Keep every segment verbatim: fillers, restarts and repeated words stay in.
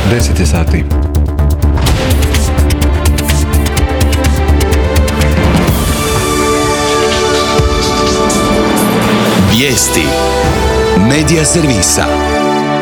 deset je sati. Vijesti Medija servisa.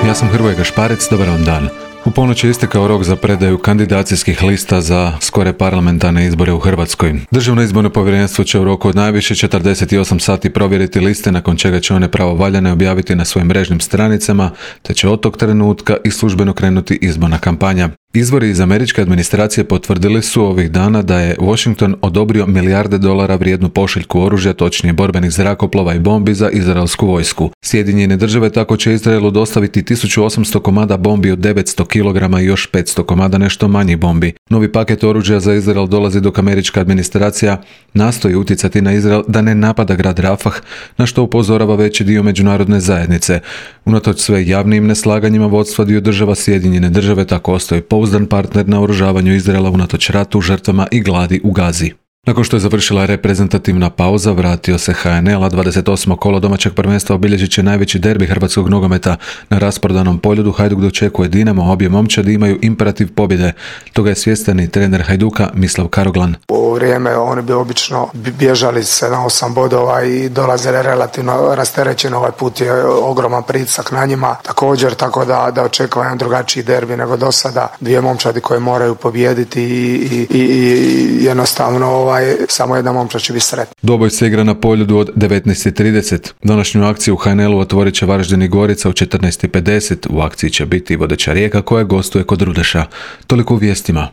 Ja sam Hrvoje Gašparec, dobar vam dan. U ponoć je istekao rok za predaju kandidacijskih lista za skore parlamentarne izbore u Hrvatskoj. Državno izborno povjerenstvo će u roku od najviše četrdeset osam sati provjeriti liste, nakon čega će one pravovaljane objaviti na svojim mrežnim stranicama, te će od tog trenutka i službeno krenuti izborna kampanja. Izvori iz američke administracije potvrdili su ovih dana da je Washington odobrio milijarde dolara vrijednu pošiljku oružja, točnije borbenih zrakoplova i bombi za izraelsku vojsku. Sjedinjene države tako će Izraelu dostaviti tisuću osamsto komada bombi od devetsto kilograma i još petsto komada nešto manjih bombi. Novi paket oružja za Izrael dolazi dok američka administracija nastoji utjecati na Izrael da ne napada grad Rafah, na što upozorava veći dio međunarodne zajednice. Unatoč sve javnim neslaganjima vodstva dio država, Sjedinjene države tako ostaju pouzdan partner na oružavanju Izraela unatoč ratu, žrtvama i gladi u Gazi. Nakon što je završila reprezentativna pauza, vratio se H N L, a dvadeset osmo kolo domaćeg prvenstva obilježit će najveći derbi hrvatskog nogometa. Na rasprodanom Poljudu Hajduk dočekuje Dinamo, a obje momčadi imaju imperativ pobjede. Toga je svjestan i trener Hajduka Mislav Karoglan. U vrijeme oni bi obično bježali sedam osam bodova i dolazili relativno rasterećeno. Ovaj put je ogroman pritisak na njima. Također, tako da, da očekujem drugačiji derbi nego do sada. Dvije momčadi koje moraju pobijediti i, i, i jednostavno ovaj samo jedna momčad će biti sretna. Dvoboj se igra na Poljudu od devetnaest i trideset. Današnju akciju u H N L-u otvorit će Varaždin i Gorica u četrnaest i pedeset. U akciji će biti vodeća Rijeka koja gostuje kod Rudeša. Toliko u vijestima.